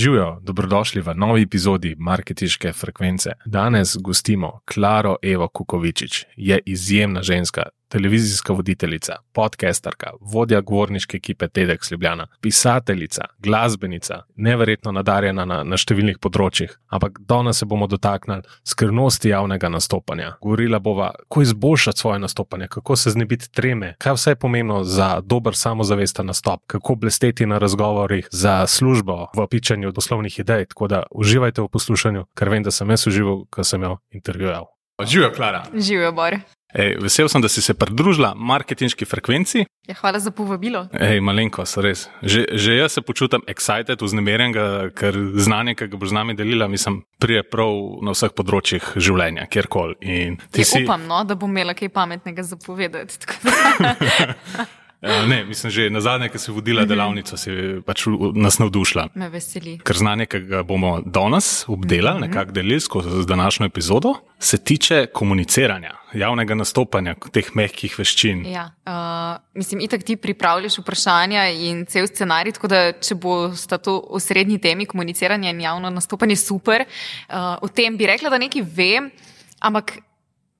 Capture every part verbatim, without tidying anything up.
Živijo, dobrodošli v novi epizodi Marketinške frekvence. Danes gostimo Klaro Evo Kukovičič. Je izjemna ženska, televizijska voditeljica, podcasterka, vodja govorniške ekipe TEDx Ljubljana, pisateljica, glasbenica, neverjetno nadarjena na, na številnih področjih. Ampak danes se bomo dotaknili skrivnosti javnega nastopanja. Govorila bova, kako izboljšati svoje nastopanje, kako se znebiti treme, kaj vse je pomembno za dober samozavesten nastop, kako blesteti na razgovorih za službo v pičanju poslovnih idej. Tako da uživajte v poslušanju, ker vem, da sem jaz užival, ko sem jo intervjuval. Živijo, Klara. Živijo, Bor. Ej, vesel sem, da si se pridružila Marketinški frekvenci. Ja, hvala za povabilo. Ej, malenkost, res. Že, že jaz se počutam excited, vznemirjenega, ker znanje, ki ga boš z nami delila, mislim, prije prav na vseh področjih življenja, kjerkoli. In ti ja, si... Upam, no, da bom imela kaj pametnega za povedati. Ne, mislim, že na zadnje, ko si vodila delavnico, si pač nas navdušila. Me veseli. Ker znanje, ki ga bomo danes obdelali, nekako delili skozi današnjo epizodo, se tiče komuniciranja, javnega nastopanja, teh mehkih veščin. Ja, uh, mislim, itak ti pripravljaš vprašanja in cel scenarij, tako da če bo sta to osrednji temi komuniciranja in javno nastopanje super, uh, o tem bi rekla, da nekaj vem, ampak,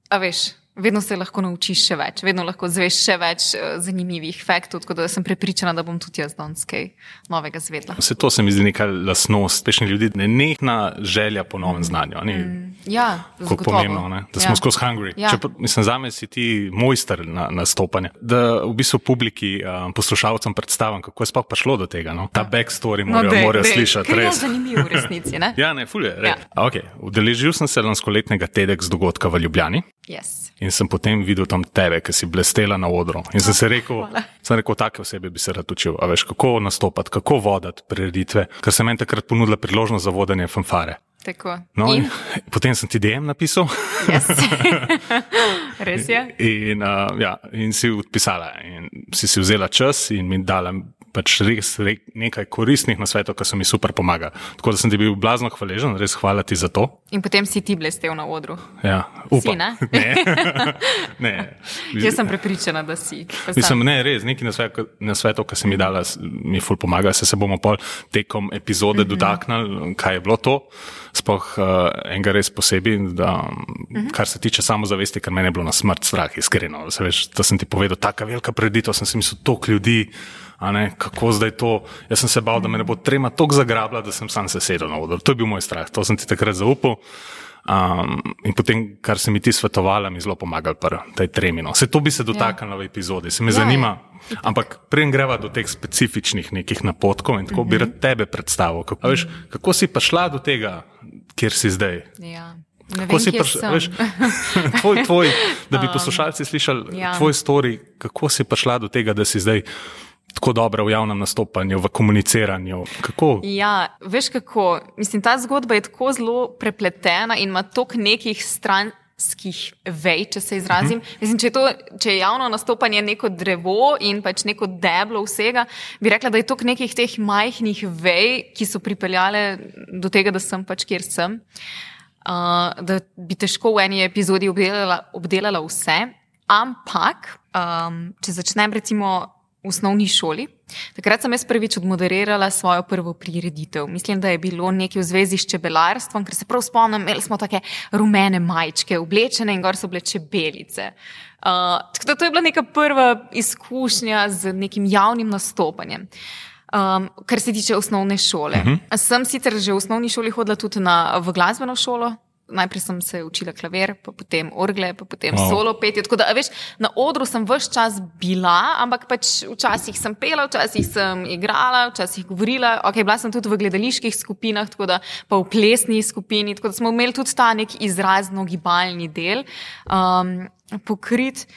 a veš, vedno se lahko naučiš še več, vedno lahko zveš še več uh, zanimivih faktov, tako da sem prepričana, da bom tudi jaz danes kaj novega zvedla. Vse to se mi zdi neka lastnost uspešnih ljudi, nenehna želja po novem znanju. Ni, mm, ja, kako pomembno, ne? Da smo ja. skozi hungry. Ja. Če, mislim, zame si ti mojster na nastopanje. Da v bistvu publiki, um, poslušalcem predstavim, kako je sploh prišlo do tega. No? Ta backstory morajo, no, dej, morajo dej. slišati. Ker res. je zanimiv v resnici, ne? Ja, ne, ful je. Ja. Okay. Udeležil sem se lanskoletnega TEDx dogodka v Ljubljani. Yes. In sem potem videl tam tebe, ki si blestela na odru. In sem se rekel, sem rekel, take osebe bi se rad učil. A veš, kako nastopati, kako vodati prireditve, ker sem meni takrat ponudila priložnost za vodenje fanfare. Tako. No, in? In? Potem sem ti D M napisal. Yes. Res je. In, uh, ja, in si odpisala. In si si vzela čas in mi dala pač res nekaj koristnih nasvetov, ki so mi super pomagali. Tako da sem ti bil blazno hvaležen, res hvala ti za to. In potem si ti blestel na odru. Ja, upam. Si, ne? Ne. ne. Jaz sem prepričana, da si. Mislim, ne, res, neki nasvetov, ki si mi dala, mi ful pomaga, se se bomo pol tekom epizode mm-hmm. dotaknili, kaj je bilo to. Sploh uh, enega res posebej, da, mm-hmm. kar se tiče samozavesti, ker mene je bilo na smrt strah, iskreno. Se veš, da sem ti povedal, taka velika preditev, sem si mislil, toliko ljudi, a ne, kako zdaj to. Jaz sem se bal, da me ne bo trema toliko zagrabila, da sem sam se sedel na odru. To je bil moj strah, to sem ti takrat zaupal. Um, in potem, kar se mi ti svetovala, mi zelo pomagal pri tej tremi. No. Se to bi se dotaknila ja. v epizodi, se me ja, zanima. Je. Ampak preden greva do teh specifičnih nekih napotkov in tako mm-hmm. bi rad tebe predstavil. Kako, a veš, kako si pa šla do tega, kjer si zdaj? Ja. Ne kako vem, si prišla, veš, tvoj, tvoj, da bi poslušalci slišali ja. tvoj story, kako si prišla do tega, da si zdaj tako dobra v javnem nastopanju, v komuniciranju. Kako? Ja, veš kako, mislim, ta zgodba je tako zelo prepletena in ima toliko nekih stranskih vej, če se izrazim. Uh-huh. Mislim, če je, to, če je javno nastopanje neko drevo in pač neko deblo vsega, bi rekla, da je toliko nekih teh majhnih vej, ki so pripeljale do tega, da sem pač kjer sem. Uh, da bi težko v eni epizodi obdelala, obdelala vse, ampak um, če začnem recimo v osnovni šoli. Takrat sem jaz prvič odmoderirala svojo prvo prireditev. Mislim, da je bilo nekaj v zvezi s čebelarstvom, ker se prav spomnim, imeli smo take rumene majčke, oblečene in gor so bile čebelice. Uh, tako da to je bila neka prva izkušnja z nekim javnim nastopanjem. Um, kar se tiče osnovne šole. Uh-huh. Sem sicer že v osnovni šoli hodila tudi na, v glasbeno šolo. Najprej sem se učila klavir, pa potem orgle, pa potem wow. solo petje. Tako da, veš, na odru sem ves čas bila, ampak pač včasih sem pela, včasih sem igrala, včasih govorila. Ok, bila sem tudi v gledaliških skupinah, tako da pa v plesni skupini, tako da smo imeli tudi ta nek izrazno gibalni del um, pokrit.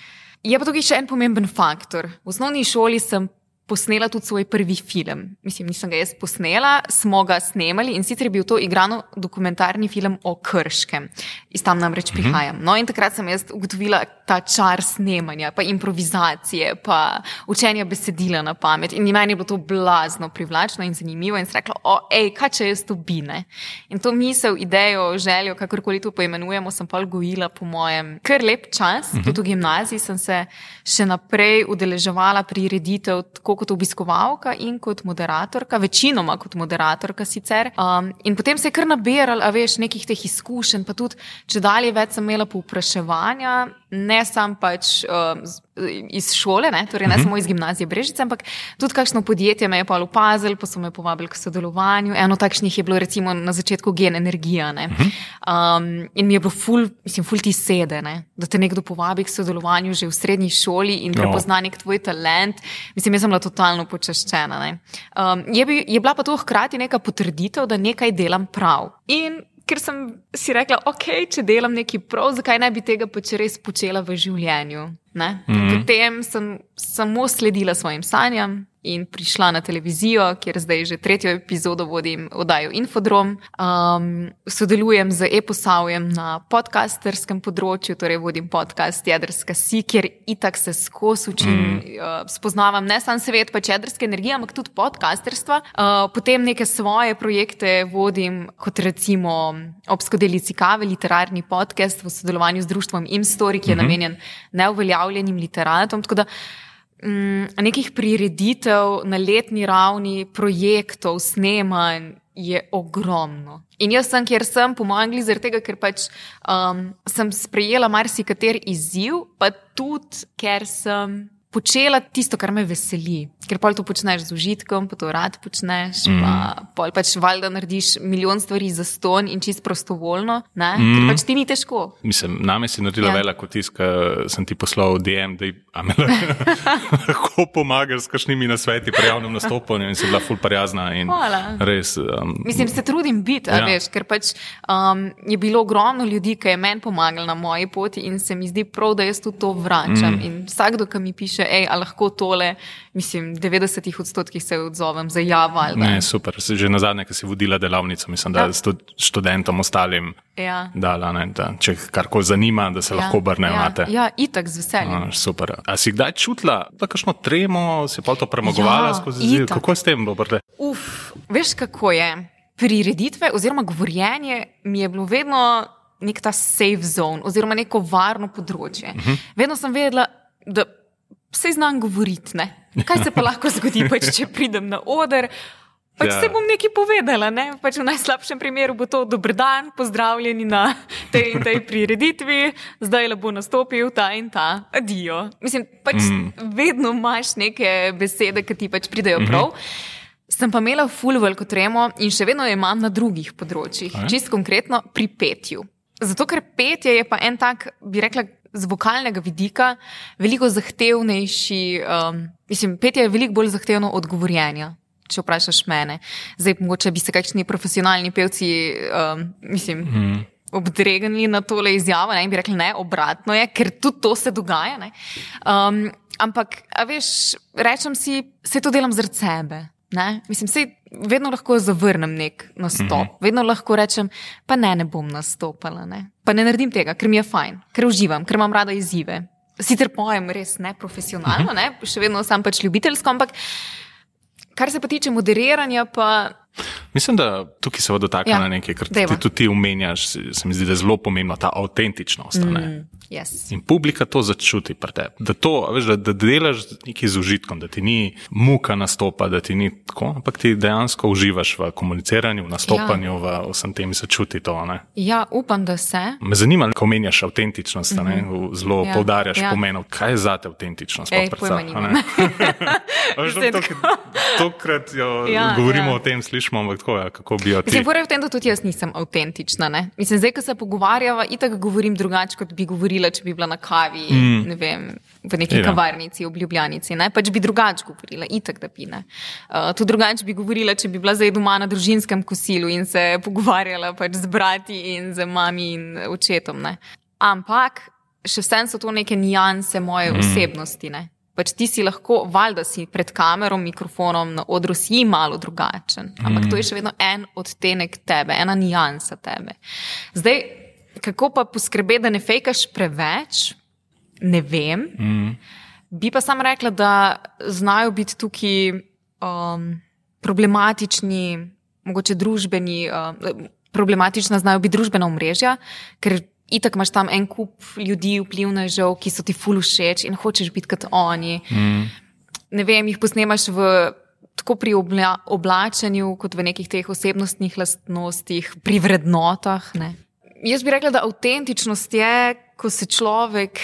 Je pa tukaj še en pomemben faktor. V osnovni šoli sem posnela tudi svoj prvi film. Mislim, nisem ga jaz posnela, smo ga snemali in sicer je bil to igrano dokumentarni film o Krškem. Iz tam namreč mm-hmm. prihajam. No in takrat sem jaz ugotovila ta čar snemanja, pa improvizacije, pa učenja besedila na pamet. In meni je bilo to blazno privlačno in zanimivo in sem rekla, o, ej, kaj če jaz to bi, ne? In to misel, idejo, željo, kakorkoli to poimenujemo, sem pa gojila po mojem kar lep čas. Mm-hmm. Tudi v gimnaziji sem se še naprej udeleževala prireditev, tako tako kot obiskovalka in kot moderatorka, večinoma kot moderatorka sicer. Um, in potem se je kar nabiral, a veš, nekih teh izkušenj, pa tudi, če dalje več sem imela povpraševanja, ne sam pač um, iz šole, ne, torej ne samo iz gimnazije Brežice, ampak tudi kakšno podjetje me je pa opazilo, pa so me povabili k sodelovanju. Eno takšnih je bilo recimo na začetku Gen Energija, ne. Um, in mi je bilo ful, mislim, ful ti sede, ne, da te nekdo povabi k sodelovanju že v srednji šoli in prepozna nek tvoj talent. Mislim, jaz sem bila totalno počaščena, ne. Um, je, bi, je bila pa to hkrati neka potrditev, da nekaj delam prav. In ker sem si rekla, ok, če delam nekaj prav, zakaj ne bi tega pač res počela v življenju, ne? Mm-hmm. Potem sem samo sledila svojim sanjam in prišla na televizijo, kjer zdaj že tretjo epizodo vodim oddajo Infodrom. Um, sodelujem z Eposavjem na podcasterskem področju, torej vodim podcast Jedrska si, kjer itak se skozi učim, mm. uh, spoznavam ne sam svet pač jedrske energije, ampak tudi podcasterstva. Uh, potem neke svoje projekte vodim, kot recimo Ob skodelici kave, literarni podcast v sodelovanju z društvom Imstory, ki je mm-hmm. namenjen neuveljavljenim literatom, tako da nekih prireditev na letni ravni, projektov, snemanj je ogromno. In jaz sem, kjer sem, po mojem glih, zaradi tega, ker pač um, sem sprejela marsikater izziv, pa tudi, ker sem počela tisto, kar me veseli. Ker pol to počneš z užitkom, pa to rad počneš, mm. pa pol pač valjda narediš milijon stvari za ston in čist prostovoljno, ne? Mm. Ker pač ti ni težko. Mislim, name si naredila ja. veliko tisk, sem ti poslal D M, da a me lahko pomagaš s kakšnimi nasveti pri javnem nastopanju in si bila ful prijazna in Hvala. res. Um, Mislim, se trudim biti, ja. a veš, ker pač um, je bilo ogromno ljudi, ki je meni pomagali na moji poti in se mi zdi prav, da jaz tudi to vračam. Mm. In vsakdo, ki mi piše, ej, a lahko tole, mislim, devetdesetih odstotkih se odzovem za ja, valjda. Ne, super. Že na zadnje, ko si vodila delavnico, mislim, da ja. študentom ostalim ja. dala, ne, da če karkoli zanima, da se ja. lahko obrnejo ja. na te. Ja, itak z veseljem. A, super. A si kdaj čutila, da kakšno tremo, si pa to premagovala ja, skozi zid? Kako je s tem, Bobrde? Uf, veš, kako je? Prireditve oziroma govorjenje mi je bilo vedno nek ta safe zone oziroma neko varno področje. Uh-huh. Vedno sem vedela, da vse znam govoriti, ne? Kaj se pa lahko zgodi, pač, če pridem na oder, pač ja. se bom nekaj povedala, ne? Pač v najslabšem primeru bo to dober dan, pozdravljeni na tej in tej prireditvi, zdaj le bo nastopil ta in ta, adijo. Mislim, pač mm. vedno imaš neke besede, ki ti pač pridejo prav. Mm-hmm. Sem pa imela ful veliko tremo in še vedno jo imam na drugih področjih, Aj? Čist konkretno pri petju. Zato, ker petje je pa en tak, bi rekla, z vokalnega vidika veliko zahtevnejši, um, mislim, petje je veliko bolj zahtevno od govorjenja, če vprašaš mene. Zdaj, mogoče bi se kakšni profesionalni pevci, um, mislim, mm. obdregnili na tole izjavo, ne, in bi rekli, ne, obratno je, ker tudi to se dogaja, ne. Um, ampak, a veš, rečem si, se to delam zaradi sebe, ne. Mislim, sej vedno lahko zavrnem nek nastop, mm-hmm. vedno lahko rečem, pa ne, ne bom nastopala, ne. Pa ne naredim tega, ker mi je fajn, ker uživam, ker imam rada izzive. Sicer pojem res neprofesionalno, ne, še vedno sam pač ljubiteljsko, ampak kar se pa tiče moderiranja, pa... Mislim, da tukaj se bo dotaknila ja, nekaj, ker ti tudi ti omenjaš, se mi zdi, da je zelo pomembna ta avtentičnost. Mm, yes. In publika to začuti pri tebi. Da to, veš, da, da delaš nekaj z užitkom, da ti ni muka nastopa, da ti ni tako, ampak ti dejansko uživaš v komuniciranju, v nastopanju, ja. v vsem tem se čuti to. Ne? Ja, upam, da se. Me zanima, ko omenjaš avtentičnost, mm-hmm. ne? Zelo ja, poudarjaš ja. pomenov. Kaj je zate avtentičnost? Ej, pojma nimam. Tokrat ja, govorimo ja. o tem, slišimo, ampak tako, ja, kako bi jo ti... Mislim, v tem, da tudi jaz nisem avtentična, ne? Mislim, zdaj, ko se pogovarjava, itak govorim drugače, kot bi govorila, če bi bila na kavi, mm. ne vem, v neki ja. kavarnici, v Ljubljanici, ne? Pač bi drugače govorila, itak da bi, ne? Uh, tudi drugače bi govorila, če bi bila zdaj doma na družinskem kosilu in se pogovarjala pač z brati in z mami in očetom, ne? Ampak, še vsem so to neke nijanse moje mm. osebnosti, ne? Pač ti si lahko, valjda si pred kamerom, mikrofonom, na odru si malo drugačen. Ampak mm. to je še vedno en odtenek tebe, ena nijansa tebe. Zdaj, kako pa poskrbeti, da ne fejkaš preveč, ne vem. Mm. Bi pa sam rekla, da znajo biti tukaj um, problematični, mogoče družbeni, uh, problematična znajo biti družbena omrežja, ker itak imaš tam en kup ljudi, vplivnežev, ki so ti ful všeč in hočeš biti kot oni. Mm. ne vem, jih posnemaš v, tako pri obla, oblačenju, kot v nekih teh osebnostnih lastnostih, pri vrednotah. Ne. Jaz bi rekla, da avtentičnost je, ko se človek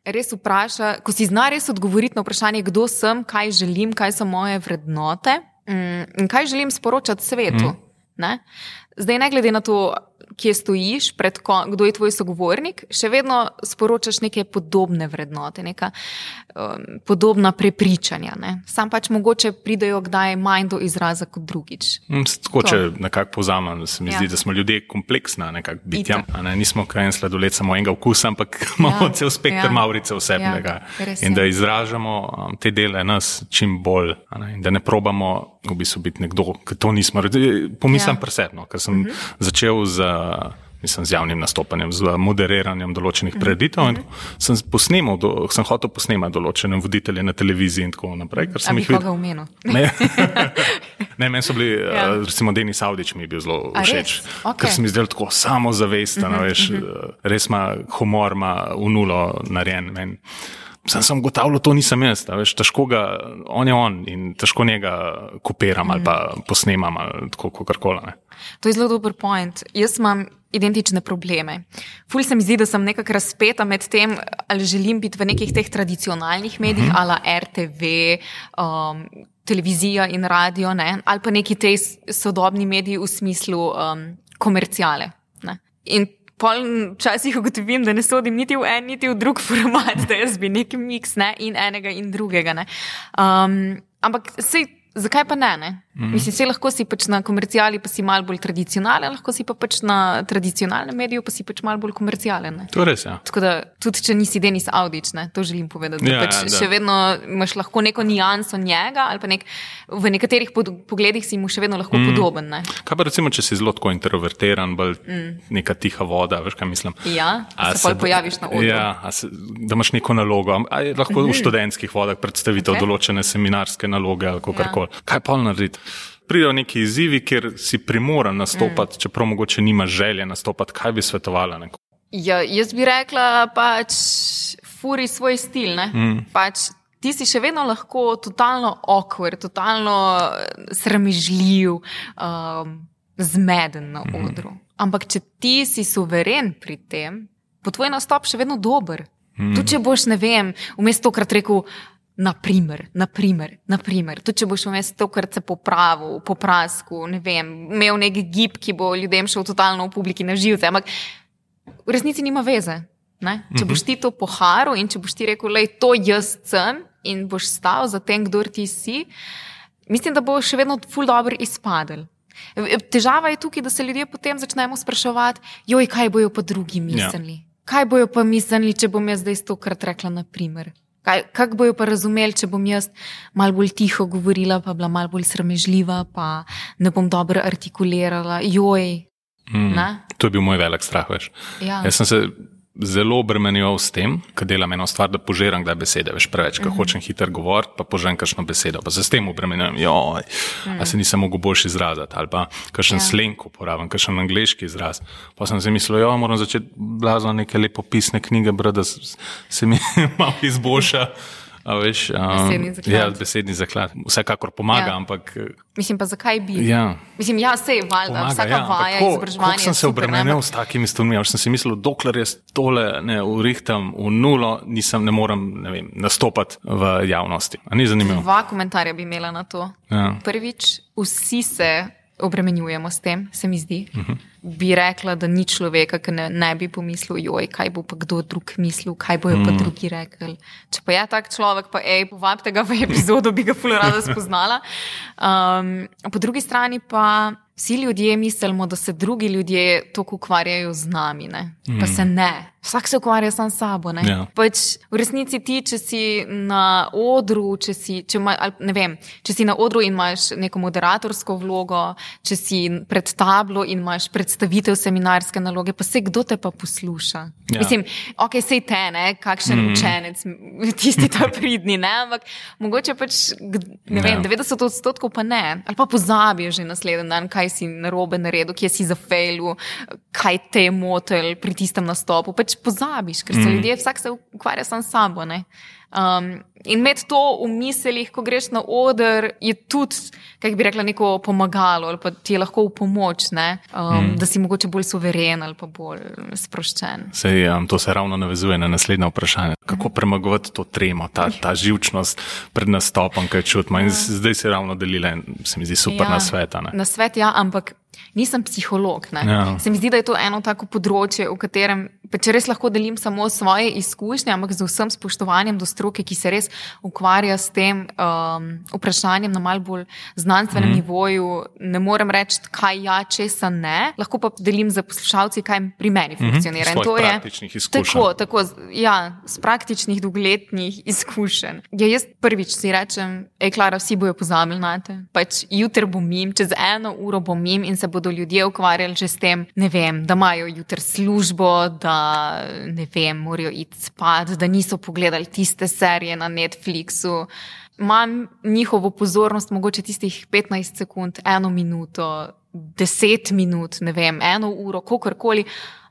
res vpraša, ko si zna res odgovoriti na vprašanje, kdo sem, kaj želim, kaj so moje vrednote in kaj želim sporočati svetu. Mm. Ne? Zdaj, ne glede na to, kje stojiš, pred ko, kdo je tvoj sogovornik, še vedno sporočaš neke podobne vrednote, neka um, podobna prepričanja. Ne? Sam pač mogoče pridejo kdaj manj do izraza kot drugič. Tako, če nekako povzamem, se mi ja. zdi, da smo ljudje kompleksna nekak bitja. Ne? Nismo kaj en sladoled samo enega okusa, ampak imamo ja. cel spektr ja. mavrice vsebnega. Ja. In da izražamo um, te dele nas čim bolj. Ne? In da ne probamo v bistvu biti nekdo, ker to nismo. Pomislim ja. presebno, ker sem uh-huh. začel z mislim, z javnim nastopanjem, z moderiranjem določenih preditev in sem posnemal, do, sem hotel posnemati določene voditelje na televiziji in tako naprej. Ker sem A bi koga omenil? Ne, ne, meni so bili, ja. recimo Denis Avdić mi je bil zelo všeč, okay. ker sem izdelal tako samozavesten, uh-huh, veš, uh-huh. res ima humor, ima v nulo narejen meni. Sam sem gotavljal, to nisem jaz, veš, težko ga, on je on in težko njega kopiram mm. ali pa posnemam ali tako kakorkoli. To je zelo dober point. Jaz imam identične probleme. Ful se mi zdi, da sem nekako razpeta med tem, ali želim biti v nekih teh tradicionalnih medijih, mm-hmm. ala er te ve, um, televizija in radio, ne? Ali pa neki tej sodobni mediji v smislu um, komerciale. Ne? In pol včasih ugotovim, da ne sodim niti v en, niti v drug format, da jaz bi neki miks, ne, in enega in drugega, ne. Um, ampak sej, zakaj pa ne, ne? Mm. Mislim, sej lahko si pač na komercijali, pa si malo bolj tradicionalen, lahko si pa pač na tradicionalnem mediju, pa si pač malo bolj komercijalen, ne. To je res, ja. Tako da, tudi če nisi Denis Avdić, ne, to želim povedati, da ja, pač ja, da. še vedno imaš lahko neko nijanso njega, ali pa nek, v nekaterih pod, pogledih si mu še vedno lahko mm. podoben, ne. Kaj pa recimo, če si zelo tako introvertiran, bolj mm. neka tiha voda, veš kaj mislim? Ja, a se pol pojaviš na odru. Ja, a se, da imaš neko nalogo, a je lahko mm-hmm. v študentskih vodah predstavitev okay. določene seminarske naloge ali kakorkoli. Ja. Kaj pa narediti? Pridejo neki izzivi, kjer si primoran nastopati, mm. čeprav mogoče nimaš želje nastopati, kaj bi svetovala neko? Ja, jaz bi rekla pač furi svoj stil, ne? Mm. Pač ti si še vedno lahko totalno awkward, totalno sramežljiv, um, zmeden na odru. Mm. Ampak če ti si suveren pri tem, bo tvoj nastop še vedno dober. Mm. Tudi če boš, ne vem, vmes tokrat rekel naprimer, naprimer, naprimer. Tudi če boš vmes tokrat se popravil, poprasku, ne vem, imel nek gib, ki bo ljudem šel totalno v publiki na živce, ampak v resnici nima veze. Ne? Če boš ti to poharil in če boš ti rekel, lej, to jaz sem in boš stal za tem, kdor ti si, mislim, da bo še vedno ful dobro izpadel. Težava je tukaj, da se ljudje potem začnemo spraševati, joj, kaj bojo pa drugi mislili? Ja. Kaj bojo pa mislili, če bom jaz zdaj stokrat rekla naprimer? Kaj, kak bojo pa razumeli, če bom jaz malo bolj tiho govorila, pa bila malo bolj sramežljiva, pa ne bom dobro artikulirala, joj. Mm, to je bil moj velik strah, veš. Ja. Jaz sem se zelo obremenjeval s tem, kad delam eno stvar, da požiram kdaj besede, veš, preveč, kad uh-huh. hočem hiter govoriti, pa požiram kakšno besedo, pa se s tem obremenjujem, joj, mm. a se nisem mogel boljši izrazati, ali pa kakšen ja. slenk uporabim, kakšen angleški izraz. Pa sem si mislil, jo, moram začeti blazno neke lepopisne knjige brati, da se mi malo izboljša. A veš, um, besedni zaklad. Ja, besedni zaklad. Vsekakor pomaga, ja. ampak... Mislim pa, zakaj bi? Ja. Mislim, ja, sej, valjda, vsaka ja, vaja, izobraževanje. Kako sem se obremenil s takimi stvarmi, až sem si mislil, dokler jaz tole ne urihtam v nulo, nisem, ne morem, ne vem, nastopati v javnosti. A ni zanimivo? Dva komentarja bi imela na to. Ja. Prvič, vsi se obremenjujemo s tem, se mi zdi. Uh-huh. Bi rekla, da ni človeka, ki ne, ne bi pomislil, joj, kaj bo pa kdo drug mislil, kaj bojo mm. pa drugi rekli. Če pa je tak človek, pa ej, povabite ga v epizodo, bi ga ful rada spoznala. Um, po drugi strani pa vsi ljudje mislimo, da se drugi ljudje toliko ukvarjajo z nami, ne? Mm. Pa se ne. Vsak se ukvarja sam s sabo, ne? Ja. Pač v resnici ti, če si na odru, če si, če ima, ne vem, če si na odru in imaš neko moderatorsko vlogo, če si pred tablo in imaš predstavitev seminarske naloge, pa se kdo te pa posluša? Ja. Mislim, ok, sej te, ne, kakšen mm. učenec, tisti ta pridni, ne, ampak mogoče pač, ne vem, ja. devetdeset odstotkov pa ne, ali pa pozabijo že naslednji dan, kaj si narobe naredil, kje si zafejlil, kaj te je motel pri tistem nastopu, pač pozabiš, ker se mm. ljudje, vsak se ukvarja sam s sabo, ne. Um, In imeti to v mislih, ko greš na oder, je tudi, kako bi rekla, neko pomagalo ali pa ti je lahko v pomoč, ne? Um, mm. da si mogoče bolj suveren ali pa bolj sproščen. Sej, um, to se ravno navezuje na naslednje vprašanje. Kako premagovati to tremo, ta, ta živčnost pred nastopom, kaj čutimo. In zdaj si ravno delila, se mi zdi super ja, na sveta. Ne? Na svet, ja, ampak nisem psiholog. Ne? Ja. Se mi zdi, da je to eno tako področje, v katerem, pa če res lahko delim samo svoje izkušnje, ampak z vsem spoštovanjem do stroke, ki se res ukvarja s tem um, vprašanjem na malo bolj znanstvenem mm. nivoju, ne morem reči, kaj ja, česa ne, lahko pa delim za poslušalci, kaj pri meni funkcionira. Mm-hmm. Svojih praktičnih izkušenj. Tako, tako, ja, z praktičnih dolgoletnih izkušenj. Ja, jaz prvič si rečem, ej, Klara, vsi bojo pozabili na te. Pač jutri bom mim, čez eno uro bom mim in se bodo ljudje ukvarjali že s tem, ne vem, da imajo jutri službo, da ne vem, morajo iti spat, da niso pogledali tiste serije na Netflixu. Imam njihovo pozornost mogoče tistih petnajst sekund, eno minuto, deset minut, ne vem, eno uro, kakorkoli.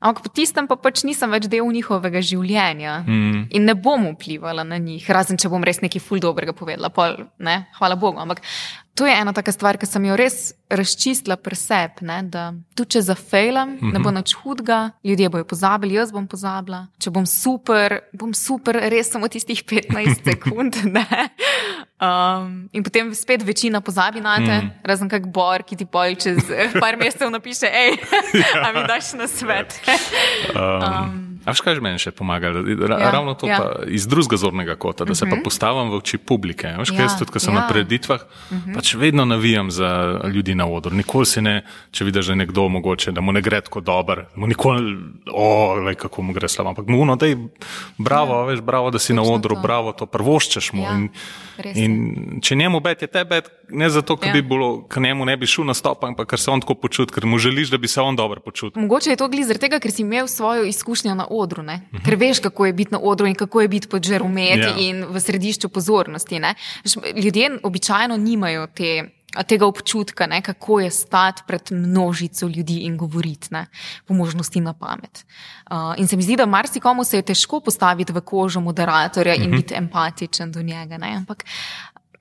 Ampak po tistem pa pač nisem več del njihovega življenja mm. in ne bom vplivala na njih, razen če bom res nekaj ful dobrega povedala, pol, ne, hvala Bogu. Ampak to je ena taka stvar, ki sem jo res razčistila pri sebi, ne, da tudi če zafejlam, mm-hmm. ne bo nič hudega, ljudje bojo pozabili, jaz bom pozabila. Če bom super, bom super res samo tistih petnajst sekund, ne. Um, in potem spet večina pozabi na te, mm. razen kak Bor, ki ti pol čez par mesecev napiše, ej, ja. A mi daš na svet. um, um, a veš, kaj že meni še pomaga? Ra- ja, ravno to ja. Pa iz drugega zornega kota, da se uh-huh. pa postavim v oči publike. Veš, kaj ja, jaz tudi, ko sem ja. na predstavitvah, uh-huh. pač vedno navijam za ljudi na odru. Nikoli si ne, če vidiš, da je nekdo mogoče, da mu ne gre tako dober, mu nikoli, o, lej, kako mu gre slabo, ampak mu no, dej, bravo, ja. veš, bravo, da si Točno na odru, to. bravo, to prvoščeš mu. Ja. In, in če njemu bet je te bet, ne zato, ker ja. bi bilo, ker njemu ne bi šel na stop, ampak ker se on tako počuti, ker mu želiš, da bi se on dobro počutil. Mogoče je to glih zaradi tega, ker si imel svojo izkušnjo na odru, ne? Uh-huh. Ker veš, kako je biti na odru in kako je biti pod žarometi yeah. in v središču pozornosti, ne? Ljudje običajno nimajo te, tega občutka, ne? Kako je stati pred množico ljudi in govoriti, ne? Po možnosti na pamet. Uh, in se mi zdi, da marsikomu se je težko postaviti v kožo moderatorja uh-huh. in biti empatičen do njega, ne? Ampak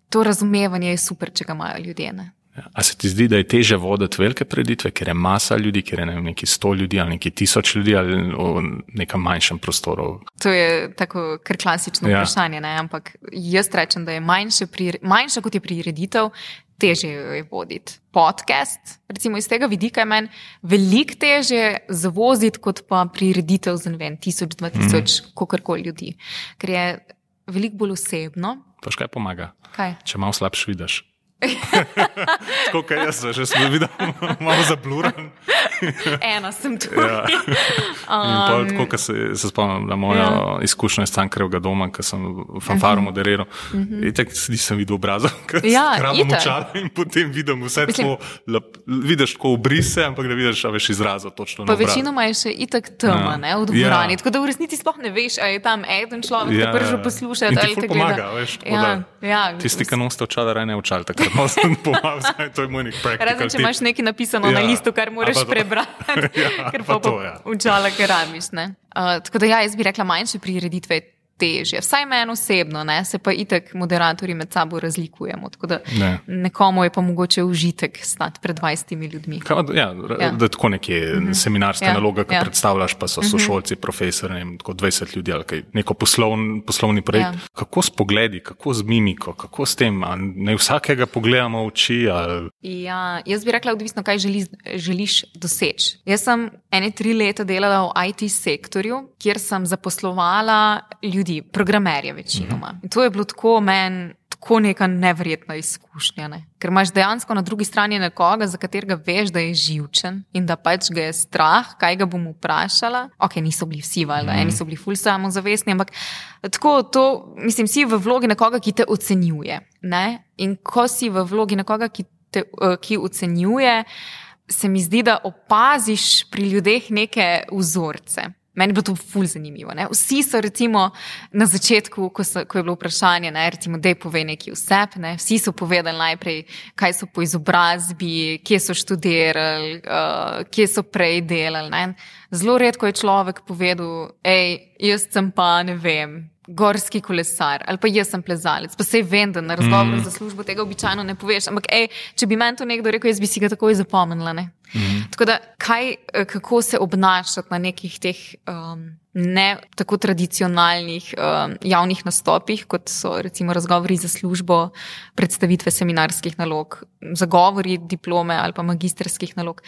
to razumevanje je super, če ga imajo ljudje, ne? A se ti zdi, da je teže voditi velike preditve, ker je masa ljudi, ker je ne vem, neki sto ljudi ali neki tisoč ljudi ali v nekem manjšem prostoru? To je tako kar klasično ja. vprašanje, ne? Ampak jaz rečem, da je manjše, pri, manjše kot je prireditev, teže je voditi. Podcast, recimo iz tega vidika je meni veliko teže zavoziti, kot pa prireditev za ne vem, tisoč, dva tisoč, mm. kakorkoli ljudi. Ker je veliko bolj osebno. Paš kaj pomaga? Kaj? Če malo slabš vidiš. Tako kaj jaz, že sem videl malo zabluran. Ena sem tu. Ja. In pa tako, ko se, se spomnim na mojo ja. izkušnjo iz Cankarjevega doma, ko sem fanfaro uh-huh. moderiral, uh-huh. in tako nisem videl obrazov, ker ja, sem kravo močala in potem vidim vse tako, vidiš tako obrise, ampak da vidiš, a veš izrazov točno na obrazu. Pa večinoma je še itak tema, ja. ne, v dvorani, ja. tako da v resnici sploh ne veš, a je tam eden človek, ja. ki prvi posluša, in ali ti ful pomaga, veš, tako ja. da ja. tisti, ki noste očala, raj ne očali, takrat malo sem pomagal, to je moj nek practical Razen, če imaš nekaj napisano ja. na listu, kar moraš prebrati, ja, ker pa, pa to, ja. učala, ker rabiš, ne. Uh, tako da ja, jaz bi rekla, manjše prireditve težje. Vsaj meni osebno, ne, se pa itak moderatorji med sabo razlikujemo, tako da ne. nekomu je pa mogoče užitek stati pred dvajsetimi ljudmi. Kaj, ja, ja. Da je tako nekje mm-hmm. seminarska ja. naloga, ki ja. predstavljaš, pa so sošolci, mm-hmm. profesori, ne, tako dvajset ljudi ali kaj, neko poslovn, poslovni projekt. Ja. Kako s pogledi, kako z mimiko, kako s tem, a ne vsakega pogledamo v oči? Ali... Ja, jaz bi rekla, odvisno, kaj želi, želiš doseči. Jaz sem ene tri leta delala v I T sektorju, kjer sem zaposlovala ljudi, programerje večinoma. In to je bilo tako meni, tako neka neverjetna izkušnja, ne? Ker imaš dejansko na drugi strani nekoga, za katerega veš, da je živčen in da pač ga je strah, kaj ga bom vprašala. Ok, niso bili vsi, valjda, eni so bili ful samozavestni, ampak tako to, mislim, si v vlogi nekoga, ki te ocenjuje, ne? In ko si v vlogi nekoga, ki te, ki ocenjuje, se mi zdi, da opaziš pri ljudeh neke vzorce. Meni je bilo to ful zanimivo. Ne? Vsi so recimo na začetku, ko, so, ko je bilo vprašanje, ne, recimo, dej povej neki vsep, ne? Vsi so povedali najprej, kaj so po izobrazbi, kje so študirali, uh, kje so prej delali. Ne? Zelo redko je človek povedal, ej, jaz sem pa, ne vem, gorski kolesar, ali pa jaz sem plezalec, pa sej vem, da na razgovoru mm. za službo tega običajno ne poveš, ampak ej, če bi meni to nekdo rekel, jaz bi si ga takoj zapomnila, ne. Mm. Tako da, kaj, kako se obnašati na nekih teh um, ne tako tradicionalnih um, javnih nastopih, kot so recimo razgovori za službo, predstavitve seminarskih nalog, zagovori diplome ali pa magistrskih nalog.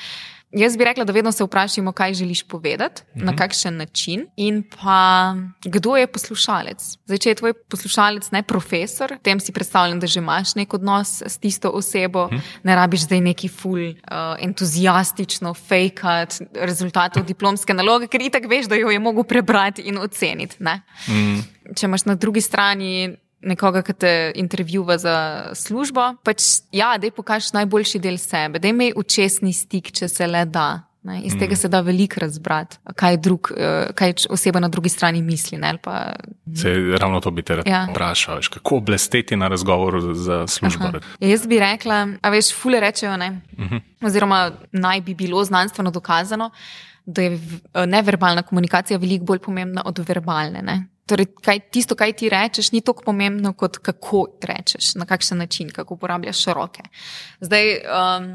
Jaz bi rekla, da vedno se vprašamo, kaj želiš povedati, mm-hmm. na kakšen način in pa kdo je poslušalec. Zdaj, če je tvoj poslušalec ne profesor, tem si predstavljam, da že imaš nek odnos s tisto osebo, mm-hmm. ne rabiš zdaj neki ful uh, entuzijastično fejkat rezultatov diplomske naloge, ker itak veš, da jo je mogo prebrati in oceniti. Ne? Mm. Če imaš na drugi strani nekoga, ki te intervjuva za službo, pač ja, daj pokaži najboljši del sebe, daj imej učesni stik, če se le da. Ne? Iz mm. tega se da veliko razbrati, kaj, drug, kaj oseba na drugi strani misli. Ne? Pa... Se, ravno to bi te rad ja. vprašal, kako blesteti na razgovoru za službo. Ja, jaz bi rekla, a veš, fule rečejo, ne? Mm-hmm. oziroma naj bi bilo znanstveno dokazano, da je neverbalna komunikacija veliko bolj pomembna od verbalne, ne? Torej, kaj, tisto, kaj ti rečeš, ni toliko pomembno, kot kako rečeš, na kakšen način, kako uporabljaš roke. Zdaj, um,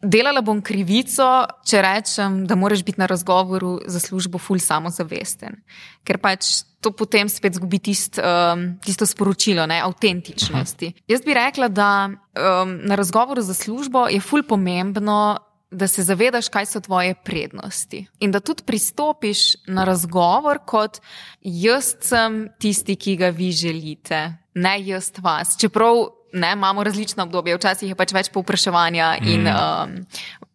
delala bom krivico, če rečem, da moraš biti na razgovoru za službo ful samozavesten. Ker pač to potem spet zgubi tist, um, tisto sporočilo, ne, avtentičnosti. Uh-huh. Jaz bi rekla, da um, na razgovoru za službo je ful pomembno, da se zavedaš, kaj so tvoje prednosti in da tudi pristopiš na razgovor kot jaz sem tisti, ki ga vi želite, ne jaz vas. Čeprav ne, imamo različna obdobja, včasih je pač več povpraševanja in um,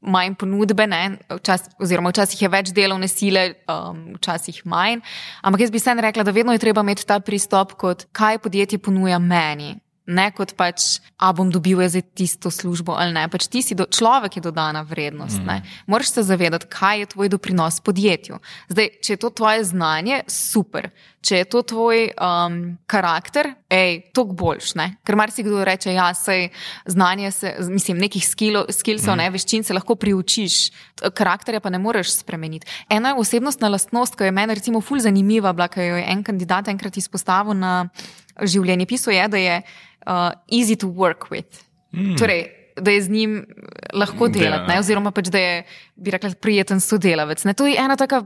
manj ponudbe, ne, včas, oziroma včasih je več delovne sile, um, včasih manj, ampak jaz bi se rekla, da vedno je treba imeti ta pristop kot kaj podjetje ponuja meni. Ne kot pač, a bom dobil jaz tisto službo ali ne. Pač ti si, do, človek je dodana vrednost. Mm. Ne. Moraš se zavedati, kaj je tvoj doprinos podjetju. Zdaj, če je to tvoje znanje, super. Če je to tvoj um, karakter, ej, toliko boljš, ne. Ker marsikdo reče, ja, sej znanje se, mislim, nekih skillov, skillsov, mm. ne, veščin se lahko priučiš, karakterja pa ne moreš spremeniti. Ena je osebnostna lastnost, ki je meni recimo ful zanimiva, bila, ki jo je en kandidat enkrat izpostavil na življenjepisu, je, da je Uh, easy to work with. Mm. Torej, da je z njim lahko delati, ne? Oziroma pač, da je, bi rekla, prijeten sodelavec. Ne? To je ena taka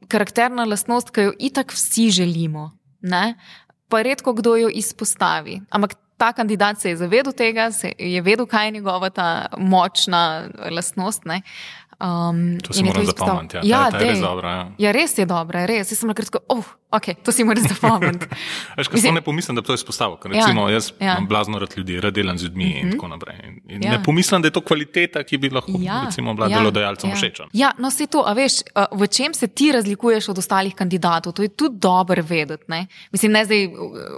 karakterna lastnost, ki jo itak vsi želimo, ne? Pa redko kdo jo izpostavi. Ampak ta kandidat se je zavedel tega, se je vedel, kaj je njegova ta močna lastnost, ne? Um, to si moram zapomniti, ja. Ja, ta, ta je res dobra. Ja. ja, res je dobra, res. Jaz sem lahko rekel, oh, ok, to si moram zapomniti. Veš, ker sem ne pomislim, da bi to izpostavil, ker recimo ja, jaz ja. imam blazno rad ljudi, rad delam z ljudmi mm-hmm. in tako naprej. In ja. ne pomislim, da je to kvaliteta, ki bi lahko ja. recimo bila ja. delodajalcem ja. všečen. Ja, no se to, a veš, v čem se ti razlikuješ od ostalih kandidatov, to je tudi dobro vedeti, ne? Mislim, ne zdaj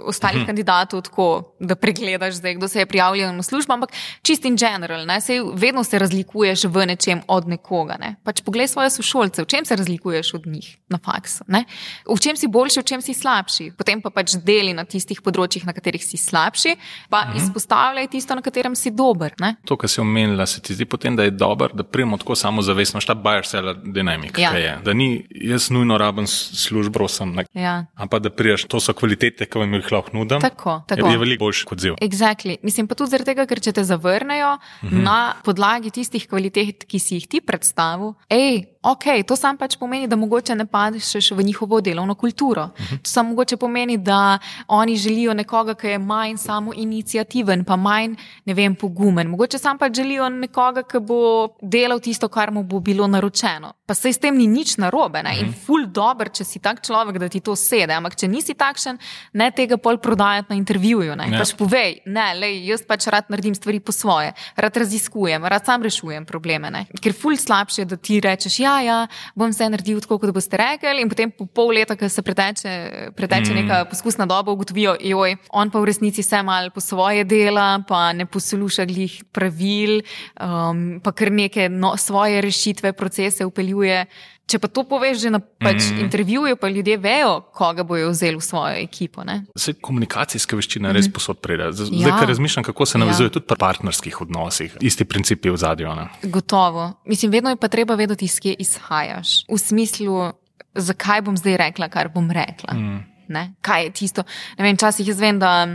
ostalih mm-hmm. kandidatov tako, da pregledaš zdaj, kdo se je prijavljal na službo, ampak čist in general, ne? Sej vedno se razlikuješ v nečem od nekoga, ne? Pač poglej svoje sošolce, v čem se razlikuješ od njih na faksu, ne? V čem si boljši, v čem si slabši. Potem pa pač deli na tistih področjih, na katerih si slabši, pa mhm. izpostavljaj tisto, na katerem si dober, ne? To, kar si omenila, se ti zdi potem, da je dober, da prijemo tako samozavestno, šta buyer seller dynamic, ja. kaj je. Da ni, jaz nujno rabim službo, sem, ja. ampak da priješ, to so kvalitete, ki vam jih lahko nudim. Tako, tako. Je veliko boljši kot ziv. Exactly. Mislim pa tudi zaradi tega, ker če te zavrnejo mhm. na podlagi tistih kvalitet, ki si jih ti predstavil, ej, ok, to sam pač pomeni, da mogoče ne padeš v njihovo delovno kulturo. Uh-huh. To sam mogoče pomeni, da oni želijo nekoga, ki je manj samo inicijativen, pa manj, ne vem, pogumen. Mogoče sam pač želijo nekoga, ki bo delal tisto, kar mu bo bilo naročeno. Pa sej s tem ni nič narobe, ne? Uh-huh. In ful dober, če si tak človek, da ti to sede. Ampak če nisi takšen, ne tega pol prodajati na intervjuju. Ne? Ja. Pač povej, ne, lej, jaz pač rad naredim stvari po svoje, rad raziskujem, rad sam rešujem probleme. Ne? Ker ful slabše, da ti rečeš, ja, ja, bom se naredil tako, kot boste rekli in potem po pol leta, ko se preteče, preteče mm. neka poskusna doba, ugotovijo, joj, on pa v resnici se mal po svoje dela, pa ne posluša glih pravil, um, pa kar neke no, svoje rešitve, procese upeljuje. Če pa to poveš že na pač mm. intervjuju, pa ljudje vejo, koga bojo vzeli v svojo ekipo. Ne? Zdaj, komunikacijska veščina je res mm. posod pride. Zdaj, ja. kar razmišljam, kako se navezuje ja. tudi pri partnerskih odnosih. Isti principi v zadju. Ne? Gotovo. Mislim, vedno je pa treba vedeti, iz kje izhajaš. V smislu, zakaj bom zdaj rekla, kar bom rekla. Mm. ne? Kaj je tisto? Ne vem, časih jaz vem, da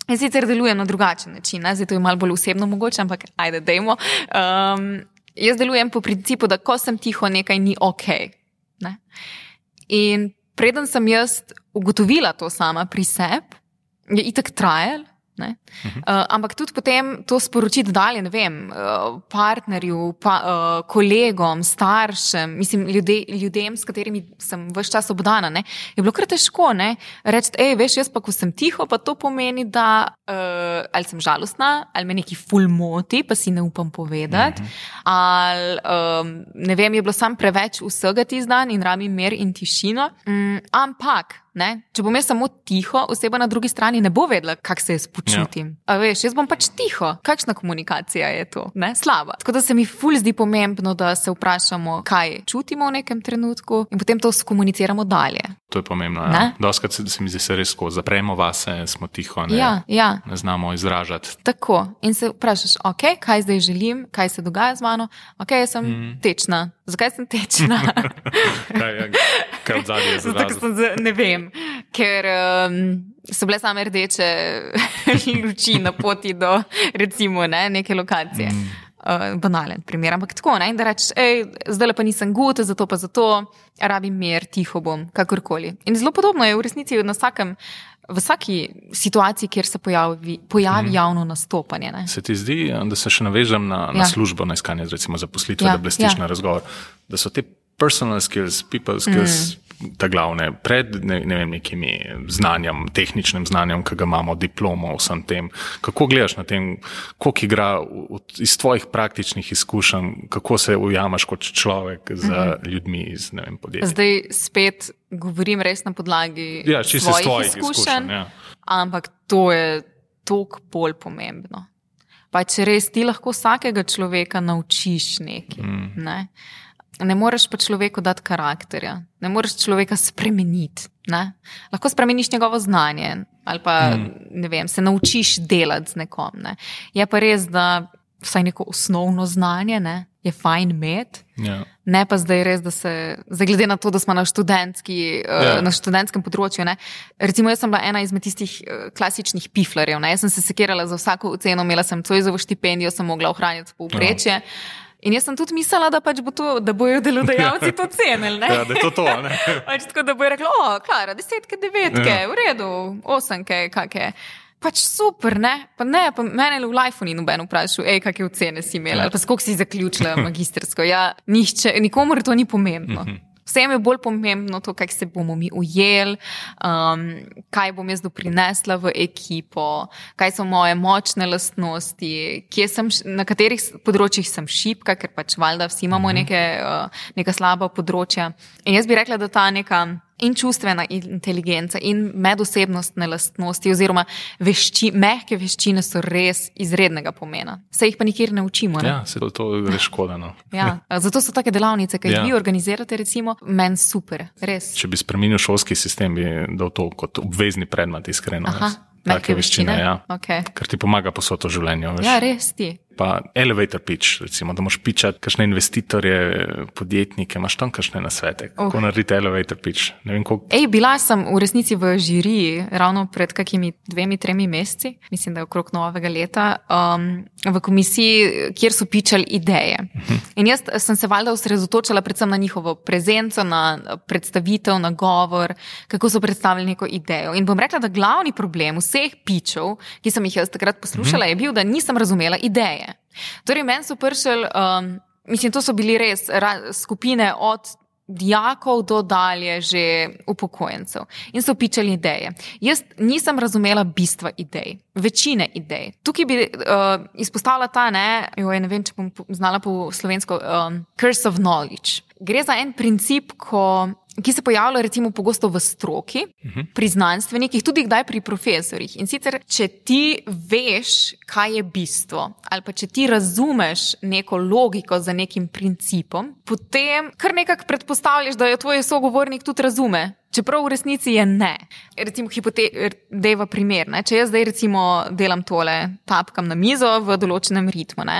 jaz sicer delujem na drugačen način, ne? Zdaj to je malo bolj osebno mogoče, ampak ajde, dejmo. Um, jaz delujem po principu, da ko sem tiho, nekaj ni okej. Ne? In preden sem jaz ugotovila to sama pri sebi, je itak trajal, ne? Uh-huh. Uh, ampak tudi potem to sporočiti dalje, ne vem, uh, partnerju, pa, uh, kolegom, staršem, mislim, ljude, ljudem, s katerimi sem ves čas obdana, ne? Je bilo kar težko, ne? Reči, ej, veš, jaz pa, ko sem tiho, pa to pomeni, da uh, ali sem žalostna, ali me neki ful moti, pa si ne upam povedati, uh-huh. ali um, ne vem, je bilo sam preveč vsega tisti dan in rabim mir in tišino, um, ampak ne? Če bom jaz samo tiho, oseba na drugi strani ne bo vedela, kak se jaz počutim. Ja. A veš, jaz bom pač tiho. Kakšna komunikacija je to? Ne? Slaba. Tako da se mi ful zdi pomembno, da se vprašamo, kaj čutimo v nekem trenutku in potem to skomuniciramo dalje. To je pomembno, ja. Doskrat se, se mi zdi se res ko zapremo vase, smo tiho, ne, ja, ja. ne znamo izražati. Tako. In se vprašaš, ok, kaj zdaj želim, kaj se dogaja z mano? Ok, jaz sem mm. tečna. Zakaj sem tečna? kaj je, kaj od zadnje je zadnje? Ne vem, ker um, so bile same rdeče luči na poti do recimo ne, neke lokacije. Mm. Uh, banalen primer, ampak tako, ne, in da rečeš, ej, zdaj pa nisem gut, zato pa zato, rabim mir, tiho bom, kakorkoli. In zelo podobno je v resnici na vsakem, v vsaki situaciji, kjer se pojavi, pojavi mm. javno nastopanje. Ne. Se ti zdi, da se še navežem na, na ja. službo, na iskanje recimo zaposlitve, ja. da blestiš ja. na razgovor, da so te personal skills, people skills, mm. ta glavne, pred ne, ne vem, nekimi znanjem, tehničnim znanjem, ki ga imamo, diplomo, vsem tem. Kako gledaš na tem, koliko igra v, iz tvojih praktičnih izkušenj, kako se ujamaš kot človek za mm-hmm. ljudmi iz, ne vem, podjetja? Zdaj spet govorim res na podlagi ja, svojih, svojih izkušenj, izkušenj ja. Ampak to je toliko bolj pomembno. Pa če res ti lahko vsakega človeka naučiš nekaj, mm. ne? Ne moreš pa človeku dati karakterja, ne moreš človeka spremeniti, ne? Lahko spremeniš njegovo znanje ali pa, mm. ne vem, se naučiš delati z nekom, ne? Je pa res, da vsaj neko osnovno znanje, ne, je fajn imeti, yeah. ne pa zdaj res, da se, zdaj glede na to, da smo na študentski, yeah. na študentskem področju, ne, recimo jaz sem bila ena izmed tistih klasičnih piflarjev, ne, jaz sem se sekirala za vsako oceno, imela sem Zoisovo štipendijo, sem mogla ohranjati povprečje. Yeah. In jaz sem tudi mislila, da pač bo to, da bojo delodajalci to cenili, ne? Ja, da je to to, ne? Pač tako, da bojo rekli, o, Klara, desetke, devetke, ja. V redu, osemke, kake. Pač super, ne? Pa ne, pa mene v lifeu ni noben vprašal, ej, kakve ocene si imela, ja. Ali pa skoliko si zaključila magistersko. Ja, nišče, nikomor to ni pomembno. Mm-hmm. Vsem je bolj pomembno to, kako se bomo mi ujeli, um, kaj bom jaz doprinesla v ekipo, kaj so moje močne lastnosti, kje sem, na katerih področjih sem šibka, ker pač valjda vsi imamo neke, uh, neka slaba področja. In jaz bi rekla, da ta neka in čustvena inteligenca in medosebnostne lastnosti oziroma vešči, mehke veščine so res izrednega pomena. Se jih pa nikjer ne učimo. Ne? Ja, se to, to je škoda. No. Ja, zato so take delavnice, ki jih ja. Vi organizirate, recimo, meni super, res. Če bi spremenil šolski sistem, bi dal to kot obvezni predmet, iskreno. Aha, take veščine, ja. Okay. Ker ti pomaga posod v življenju. Veš. Ja, res ti. Pa elevator pitch, recimo, da moš pičati kakšne investitorje, podjetnike, imaš tam kakšne nasvete, kako uh. narediti elevator pitch. Ne vem, koliko... Ej, bila sem v resnici v žiriji ravno pred kakimi dvemi, tremi meseci, mislim, da je okrog novega leta, um, v komisiji, kjer so pičali ideje. Uh-huh. In jaz sem se valjda osredotočala predvsem na njihovo prezenco, na predstavitev, na govor, kako so predstavili neko idejo. In bom rekla, da glavni problem vseh pičev, ki sem jih jaz takrat poslušala, uh-huh. je bil, da nisem razumela ideje. Torej, meni so prišli, um, mislim, to so bili res ra- skupine od dijakov do dalje že upokojencev in so pičali ideje. Jaz nisem razumela bistva idej, večine idej. Tukaj bi uh, izpostavila ta, ne, joj, ne vem, če bom znala po slovensko, um, curse of knowledge. Gre za en princip, ko ki se pojavlja recimo pogosto v stroki, uh-huh. pri znanstvenikih, tudi kdaj pri profesorjih. In sicer, če ti veš, kaj je bistvo, ali pa če ti razumeš neko logiko za nekim principom, potem kar nekako predpostavljaš, da jo tvoj sogovornik tudi razume. Čeprav v resnici je ne. Recimo hipoteva primer, ne? Če jaz zdaj recimo delam tole, tapkam na mizo v določenem ritmu, ne?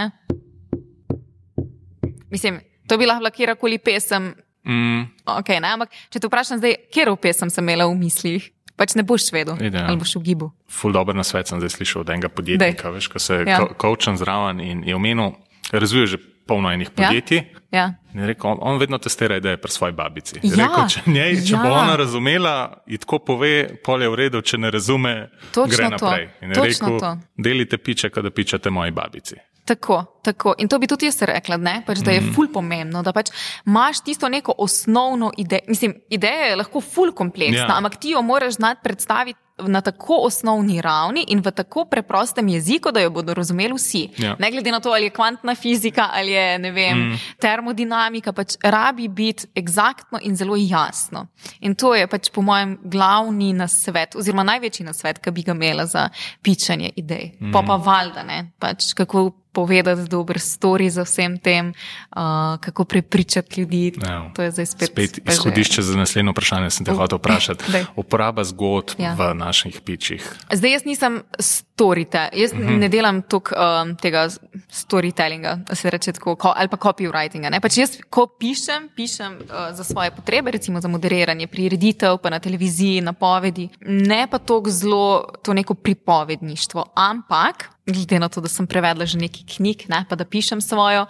Mislim, to bi lahko kjerkoli pesem Mm. Okay, ne, ampak če te vprašam zdaj, kjer pesem sem imela v mislih, pač ne boš vedel, Ide, ali boš v gibu. Ful dober nasvet sem zdaj slišal od enega podjetnika, Dej. veš, ko se Ja. ko- coacham zraven in je omenil, razvije že polno enih podjetij. Ja. In je rekel, on, on vedno testira ideje pri svoji babici. Je Ja, rekel, če, njej, če ja. bo ona razumela, ji tako pove, pol je v redu, če ne razume, Točno gre to, naprej. In je točno rekel, to. delite piče, kada pičete moji babici. Tako, tako. In to bi tudi jaz rekla, ne? Pač, da je ful pomembno, da pač imaš tisto neko osnovno idejo. Mislim, ideja je lahko ful kompleksna, Ja. ampak ti jo moraš znati predstaviti na tako osnovni ravni in v tako preprostem jeziku, da jo bodo razumeli vsi. Ja. Ne glede na to, ali je kvantna fizika ali je, ne vem, mm. termodinamika, pač rabi biti eksaktno in zelo jasno. In to je pač po mojem glavni nasvet, oziroma največji nasvet, ki bi ga imela za pičanje idej. Mm. Pa pa valjda, ne, pač kako povedati dober story za vsem tem, uh, kako prepričati ljudi. Ja. To je zdaj spet, Spet pa že- izhodišče za naslednjo vprašanje sem te Uh, hotel vprašati. daj. Uporaba zgodb Ja. v naših pičih. Zdaj jaz nisem storyte, jaz uh-huh. ne delam tok um, tega storytellinga, se reče tako, ko, ali pa copywritinga. Ne? Pač jaz, ko pišem, pišem uh, za svoje potrebe, recimo za moderiranje prireditev, pa na televiziji, napovedi, ne pa tok zelo to neko pripovedništvo, ampak glede na to, da sem prevedla že nekaj knjig, ne, pa da pišem svojo,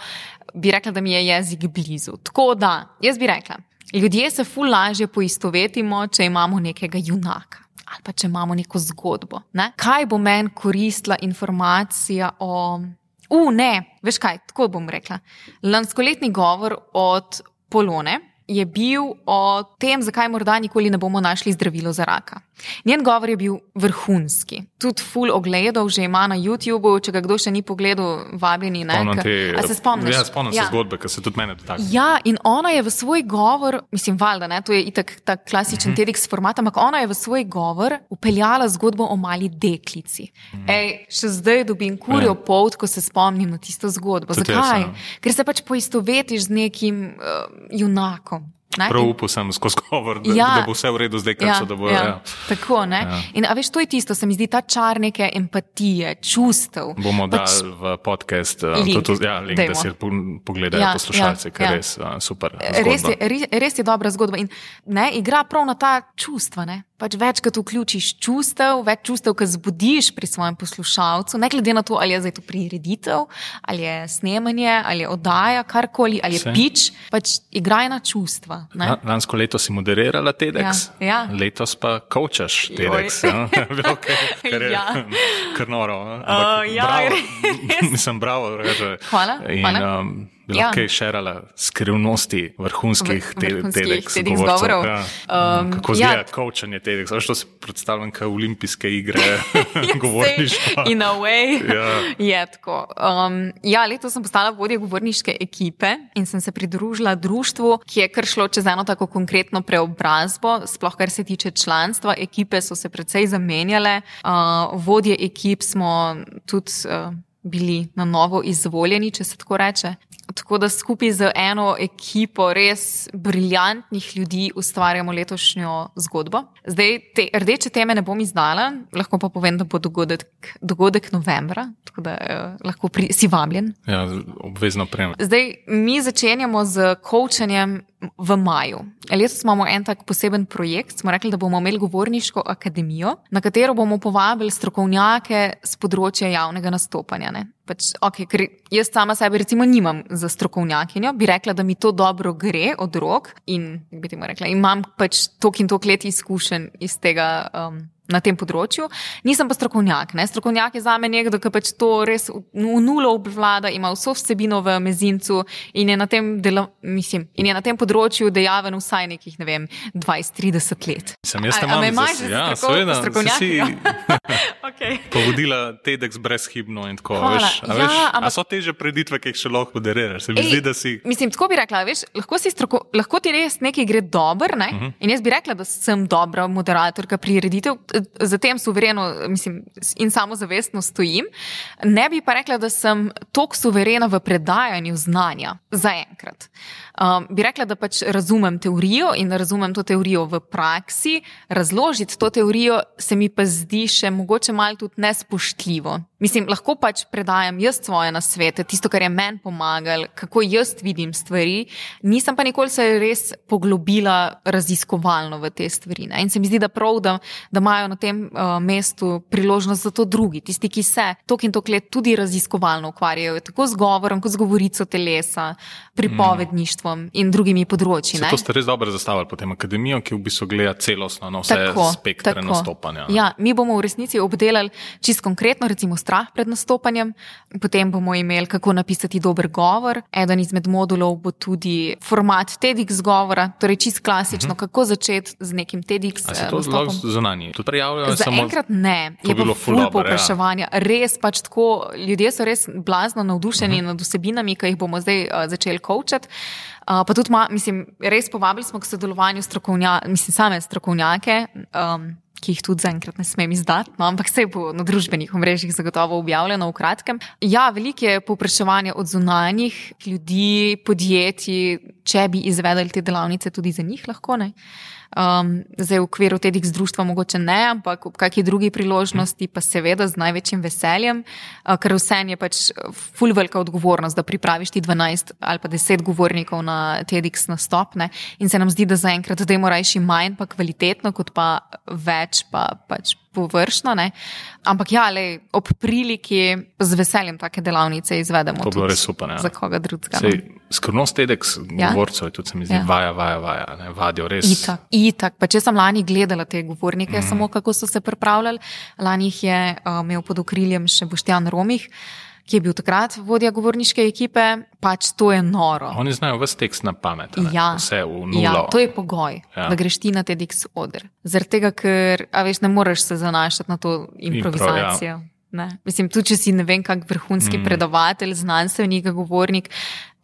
bi rekla, da mi je jezik blizu. Tako da, jaz bi rekla, ljudje se ful lažje poistovetimo, če imamo nekega junaka. Ali pa če imamo neko zgodbo. Ne? Kaj bo meni koristila informacija o... U, ne, veš kaj, tako bom rekla. Lanskoletni govor od Polone je bil o tem, zakaj morda nikoli ne bomo našli zdravilo za raka. Njen govor je bil vrhunski. Tudi ful ogledov že ima na YouTubeu, če ga kdo še ni pogledal, vabljeni. Ne? Spomnim K- te- A se spomniš? Ja, spomnim se zgodbe, ki se tudi mene dotakne. Ja, in ona je v svoj govor, mislim, valjda, ne, to je itak ta klasičen TEDx format, ampak ona je v svoj govor upeljala zgodbo o mali deklici. Ej, še zdaj dobim kurjo polt, ko se spomnim na tisto zgodbo. Tudi jaz, Zakaj? ja. Ker se pač poistovetiš z nekim uh, junakom. Ne? Prav In- upal sem skozi govor, da, Ja. da bo vse v redu zdaj, kar so, da bo. ja, Ja. Tako, ne. Ja. In a veš, to je tisto, se mi zdi ta čar neke empatije, čustev. Bomo Pač- dali v podcast uh, Link. to, to, ja, link, Dajmo. da si po- pogledajo Ja, poslušalci, ja, ker ja. res uh, super. Res zgodba. je, res, res je dobra zgodba in ne, igra prav na ta čustva. Ne? Pač večkrat vključiš čustev, več čustev, ki zbudiš pri svojem poslušalcu, ne glede na to, ali je zdaj to prireditev, ali je snemanje, ali je oddaja, karkoli, ali je Saj. pič, pač igraj na čustva. Ne? La- Lansko leto si moderirala TEDx, Ja, ja. letos pa coachaš TEDx. Joj. Ja? Okay, kar je Ja. kar noro. a? Ampak Uh, ja, bravo, res. Mislim, bravo. Reže. Hvala, In hvala. um, bi Ja. lahko šerala skrivnosti vrhunskih Vr- te- vrhunskih TEDx TEDx govorcev. govorov. Ja. Um, Kako ja. zgleda coachanje TEDx? Veš, to si predstavljam kot olimpijske igre govorništva. In a way Ja. je tako. Um, ja, letos sem postala vodja govorniške ekipe in sem se pridružila društvu, ki je kar šlo čez eno tako konkretno preobrazbo, sploh kar se tiče članstva. Ekipe so se precej zamenjale, uh, vodje ekip smo tudi uh, bili na novo izvoljeni, če se tako reče. Tako da skupaj z eno ekipo res briljantnih ljudi ustvarjamo letošnjo zgodbo. Zdaj, te rdeče teme ne bom izdala, lahko pa povem, da bo dogodek, dogodek novembra, tako da eh, lahko pri, si vabljen. Ja, obvezno prejemam. Zdaj, mi začenjamo z coachanjem v maju. Letos imamo en tak poseben projekt, smo rekli, da bomo imeli govorniško akademijo, na katero bomo povabili strokovnjake z področja javnega nastopanja. Ne? Pač, okay, ker jaz sama sebe recimo nimam za strokovnjakinjo, bi rekla, da mi to dobro gre od rok in, bi temu rekla, imam pač tok in tok let izkušenj iz tega um, na tem področju. Nisem pa strokovnjak. Ne? Strokovnjak je zame nekdo, ki pač to res v v nulo obvlada, ima vso vsebino v mezincu in je na tem, delo, mislim, in je na tem področju dejaven vsaj nekih, ne vem, dvajset trideset let. Sem jaz A- te a me imam imaš za- za ja, stroko- seveda, strokovnjakinjo? si Okay. povodila TEDx brezhibno in tako. Hvala. Veš, a, Ja, veš, a ampak- so teže preditve, ki jih še lahko moderiraš? Se mi Ej, zdi, da si. Mislim, tako bi rekla, veš, lahko, si stroko, lahko ti res nekaj gre dobro, ne? uh-huh. In jaz bi rekla, da sem dobra moderatorka prireditev, za tem suvereno mislim, in samozavestno stojim. Ne bi pa rekla, da sem toliko suverena v predajanju znanja, zaenkrat. Um, bi rekla, da pač razumem teorijo in da razumem to teorijo v praksi, razložiti to teorijo se mi pa zdi še mogoče malo tudi nespoštljivo. Mislim, lahko pač predajam jaz svoje nasvete, tisto, kar je meni pomagalo, kako jaz vidim stvari, nisem pa nikoli se res poglobila raziskovalno v te stvari. Ne? In se mi zdi, da prav, da, da imajo na tem uh, mestu priložnost za to drugi, tisti, ki se tok in tok let tudi raziskovalno ukvarjajo, tako z govorom, kot z govorico telesa, pripovedništvom mm. in drugimi področji. Se to ste res dobro zastavili potem akademijo, ki v bistvu gleda celostno na vse tako, spektre tako. nastopanja. Ne? Ja, mi bomo v resnici obdelali čisto konkretno, recimo strah pred nastopanjem, potem bomo imeli, kako napisati dober govor. Eden izmed modulov bo tudi format TEDx govora, torej čisto klasično, uh-huh. kako začeti z nekim TEDx nastopom. A se to zelo zunanji? To prijavljajo Za samo... enkrat ne, je pa ful povpraševanja. Ja. Res pač tako, ljudje so res blazno navdušeni uh-huh. nad vsebinami, ki jih bomo zdaj uh, začeli coachati. Uh, pa tudi, ma, mislim, res povabili smo k sodelovanju strokovnja, mislim, same strokovnjake, um, ki jih tudi zaenkrat ne smem izdati, no, ampak vse bo na družbenih omrežjih zagotovo objavljeno v kratkem. Ja, veliko je povpraševanja od zunanjih ljudi, podjetij, če bi izvedeli te delavnice tudi za njih lahko, ne. Um, zdaj v okviru TEDx društva mogoče ne, ampak v kakšni drugi priložnosti pa seveda z največjim veseljem, uh, ker vse je pač ful velika odgovornost, da pripraviš ti dvanajst ali pa deset govornikov na TEDx nastop, ne, in se nam zdi, da zaenkrat dajmo rajši manj pa kvalitetno, kot pa več pa pač površno, ne. Ampak ja, lej, ob priliki z veseljem take delavnice izvedemo. To bilo res super, ja. Za koga drugega. Sej, skrivnost TEDx ja? govorcev je tudi, se mi zdi, ja. vaja, vaja, vaja, ne, vadijo res. Itak, itak. Pa če sem lani gledala te govornike, mm. samo kako so se pripravljali, lani jih je uh, imel pod okriljem še Boštjan Romih, ki je bil takrat vodja govorniške ekipe, pač to je noro. Oni znajo ves tekst na pamet, ne? Ja, vse v nulo. Ja, to je pogoj, ja. da greš ti na TEDx oder. Zaradi tega, ker, a veš, ne moreš se zanašati na to improvizacijo. Impro, ja. Ne. Mislim, tudi če si ne vem kak vrhunski mm. predavatelj, znanstvenik, govornik,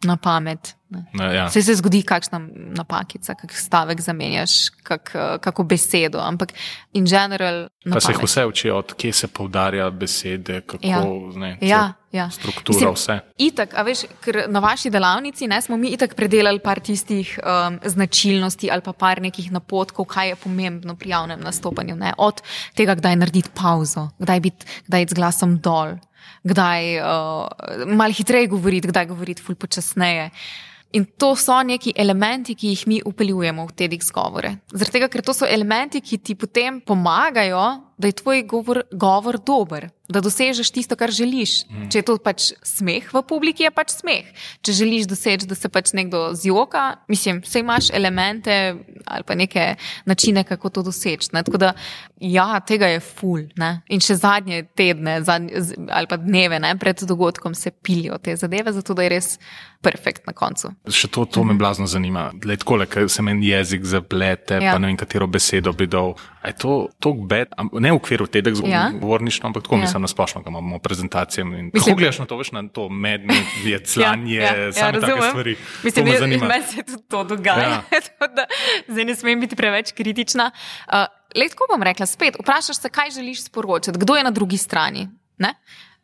na pamet. Ne. Ne, ja. Vse se zgodi kakšna napakica, kak stavek zamenjaš, kak, kako besedo, ampak in general na pa se jih pamet. vse učijo, od kje se poudarja besede, kako, Ja. ne, Ja, ja. struktura, Mislim, vse. Itak, a veš, ker na vaši delavnici ne, smo mi itak predelali par tistih um, značilnosti ali pa par nekih napotkov, kaj je pomembno pri javnem nastopanju. Ne? Od tega, kdaj narediti pauzo, kdaj biti, kdaj iti z glasom dol, kdaj uh, malo hitreje govoriti, kdaj govoriti ful počasneje. In to so neki elementi, ki jih mi upeljujemo v TEDx govore. Zaradi tega, ker to so elementi, ki ti potem pomagajo, da je tvoj govor, govor dober, da dosežeš tisto, kar želiš. Mm. Če je to pač smeh v publiki, je pač smeh. Če želiš doseči, da se pač nekdo zjoka, mislim, vse imaš elemente ali pa neke načine, kako to doseči. Ne? Tako da, ja, tega je ful. Ne? In še zadnje tedne zadnje, ali pa dneve ne, pred dogodkom se pilijo te zadeve, zato da je res perfekt na koncu. Še to, to me blazno zanima. Lej, takole, ker se meni jezik zaplete, ja. pa ne vem, katero besedo bi dal. A je to tok bed, ne v okviru TEDx ja. govorništva, ampak tako ja. mislim na splošno, ko imamo prezentacije. In kako gledaš na to, veš, na to medme, jeclanje, ja, ja, same ja, take stvari. Mislim, to me jaz, zanima. Meni se tudi to dogaja. Ja. da, zdaj ne smem biti preveč kritična. Uh, Lej, tako bom rekla, spet, vprašaš se, kaj želiš sporočati, kdo je na drugi strani, ne?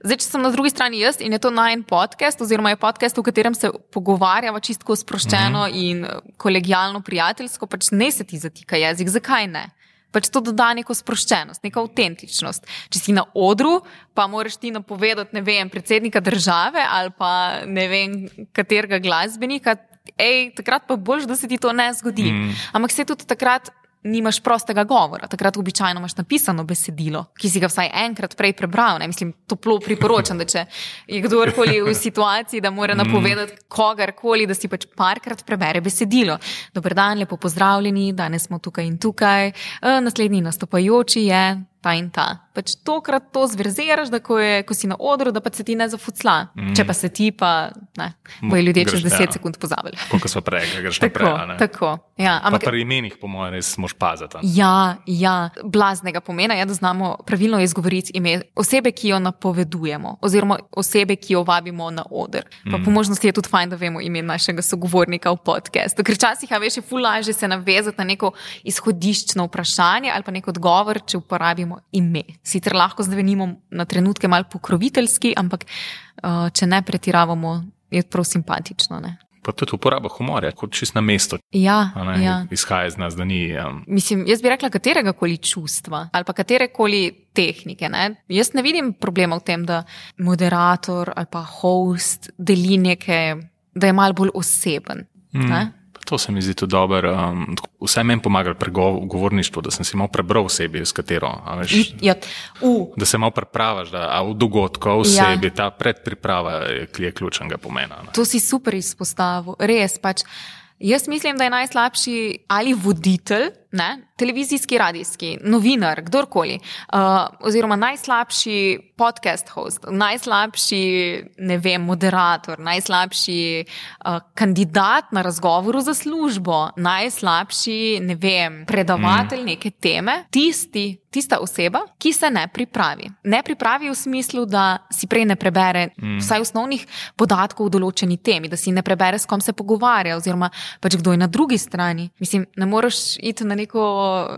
Zdaj, če sem na drugi strani jaz in je to najin podcast, oziroma je podcast, v katerem se pogovarjava čistko sproščeno mm-hmm. in kolegijalno, prijateljsko, pač ne se ti zatika jezik, zakaj ne? Pač to doda neko sproščenost, neko avtentičnost. Če si na odru, pa moraš ti napovedati, ne vem, predsednika države ali pa ne vem, katerega glasbenika, ej, takrat pa boljš, da se ti to ne zgodi. Mm. Ampak se tudi takrat nimaš prostega govora. Takrat običajno imaš napisano besedilo, ki si ga vsaj enkrat prej prebral. Ne? Mislim, toplo priporočam, da če je kdorkoli v situaciji, da mora napovedati kogarkoli, da si pač parkrat prebere besedilo. Dober dan, lepo pozdravljeni, danes smo tukaj in tukaj, naslednji nastopajoči je ta in ta. Pač tokrat to zverziraš, da ko, je, ko si na odru, da pa se ti ne zafucla. Mm. Če pa se ti, pa ne, bojo ljudje čez deset ja. sekund pozabili. Koliko so prej, kaj greš tako, naprej, ne? Tako, ja. Ampak, pa pri imenih, po mojem, res moš pazati. Ja, ja, blaznega pomena je, da znamo pravilno izgovoriti ime osebe, ki jo napovedujemo, oziroma osebe, ki jo vabimo na oder. Pa mm. po možnosti je tudi fajn, da vemo ime našega sogovornika v podcastu. Ker včasih, a veš, je ful lažje se navezati na neko izhodiščno vprašanje ali pa nek odgovor, če uporabimo ime. Sicer lahko zvenimo na trenutke malo pokroviteljski, ampak uh, če ne pretiravamo, je prav simpatično. Ne? Pa tudi uporaba humorja, kot čist na mesto. Ja, ne, ja. Izhaja iz nas, da ni... Um... Mislim, jaz bi rekla katerega koli čustva ali pa katerekoli tehnike. Ne? Jaz ne vidim problema v tem, da moderator ali pa host deli nekaj, da je malo bolj oseben. Mm. Ne? To se mi zdi tudi dobro. Um, vse meni pomaga pri govorništvu, da sem si malo prebral osebi, s katero. Veš, ja. uh. Da se malo prepravaš, da a v dogodku, v osebi, ja. Ta predpriprava je, je ključnega pomena. Ne? To si super izpostavil. Res pač. Jaz mislim, da je najslabši ali voditelj, ne, televizijski, radijski, novinar, kdorkoli, uh, oziroma najslabši podcast host, najslabši, ne vem, moderator, najslabši uh, kandidat na razgovoru za službo, najslabši, ne vem, predavatelj mm. neke teme, tisti, tista oseba, ki se ne pripravi. Ne pripravi v smislu, da si prej ne prebere mm. vsaj osnovnih podatkov v določeni temi, da si ne prebere, s kom se pogovarja, oziroma pač kdo je na drugi strani. Mislim, ne moreš iti na neko,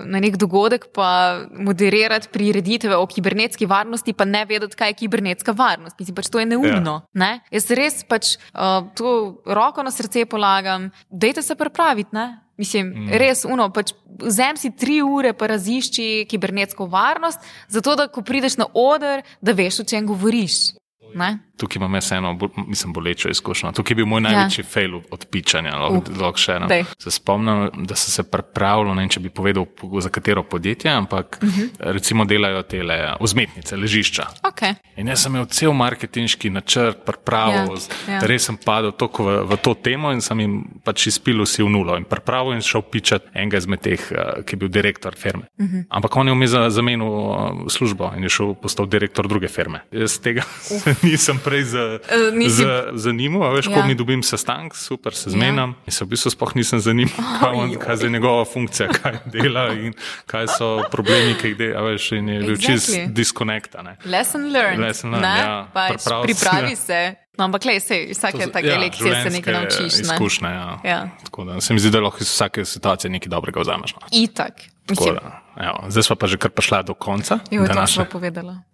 na nek dogodek pa moderirati prireditve o kibernetski varnosti, pa ne vedeti, kaj je kibernetska varnost. Mislim, pač to je neumno. Ja. Ne? Jaz res pač uh, to roko na srce polagam, dajte se pripraviti, ne? Mislim, mm. res, uno, pač vzem si tri ure pa razišči kibernetsko varnost, zato da, ko prideš na oder, da veš, o čem govoriš. Ne? Tukaj imam jaz eno, mislim, bolečo izkušnjo. Tukaj je bil moj največji ja. fail od pičanja. Lahko še eno. Se spomnim, da sem se pripravljal, ne vem, če bi povedal, za katero podjetje, ampak uh-huh. recimo delajo tele vzmetnice, ležišča. Okay. In jaz sem imel cel marketinški načrt pripravil, ja. Ja. res sem padel toliko v, v to temo in sem jim pač izpilil si v nulo in pripravil in šel pičati enega izmed teh, ki je bil direktor firme. Uh-huh. Ampak on je vmes zamenil službo in je šel postal direktor druge firme. Jaz tega uh. nisem prej za, uh, za, zanimal, a veš, ja. Ko mi dobim sestank, super, se zmenam, ja. In se v bistvu sploh nisem zanimal, oh, kaj je njegova funkcija, kaj dela in kaj so problemi, ki jih dela, a veš, in je bil exactly. Čist disconnecta. Ne. Lesson learned. Lesson learned, ja. Pač, pripravi se. No, ampak lej, sej, vsake take ja, lekcije se nekaj naučiš. Ne? Izkušnje, ja. ja. Tako da se mi zdi, da lahko iz vsake situacije nekaj dobrega vzameš. No. Itak. Tako da, ja. Zdaj sva pa že kar prišla do konca. Jo, to sva povedala.